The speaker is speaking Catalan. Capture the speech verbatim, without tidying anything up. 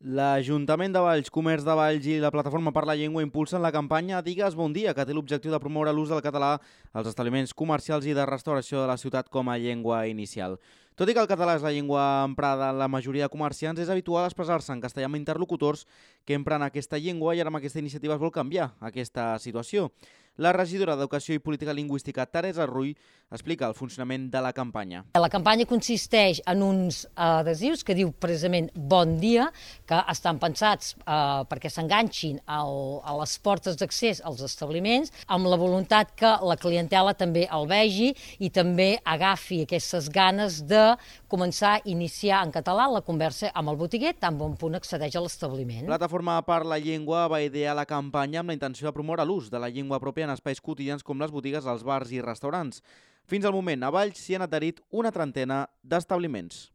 L'Ajuntament de Valls, Comerç de Valls i la Plataforma per la Llengua impulsen la campanya Digues bon dia, que té l'objectiu de promoure l'ús del català als establiments comercials i de restauració de la ciutat com a llengua inicial. Tot i que el català és la llengua emprada en la majoria de comerciants, és habitual expressar-se en castellà amb interlocutors que empren aquesta llengua i ara amb aquesta iniciativa es vol canviar aquesta situació. La regidora d'Educació i Política Lingüística, Teresa Rull, explica el funcionament de la campanya. La campanya consisteix en uns adhesius que diu precisament bon dia, que estan pensats eh, perquè s'enganxin a les portes d'accés als establiments, amb la voluntat que la clientela també el vegi i també agafi aquestes ganes de començar a iniciar en català la conversa amb el botiguer, tan bon punt accedeix a l'establiment. Plataforma per la Llengua va idear la campanya amb la intenció de promoure l'ús de la llengua pròpia en espais quotidians com les botigues, els bars i restaurants. Fins al moment, a Valls s'hi han adherit una trentena d'establiments.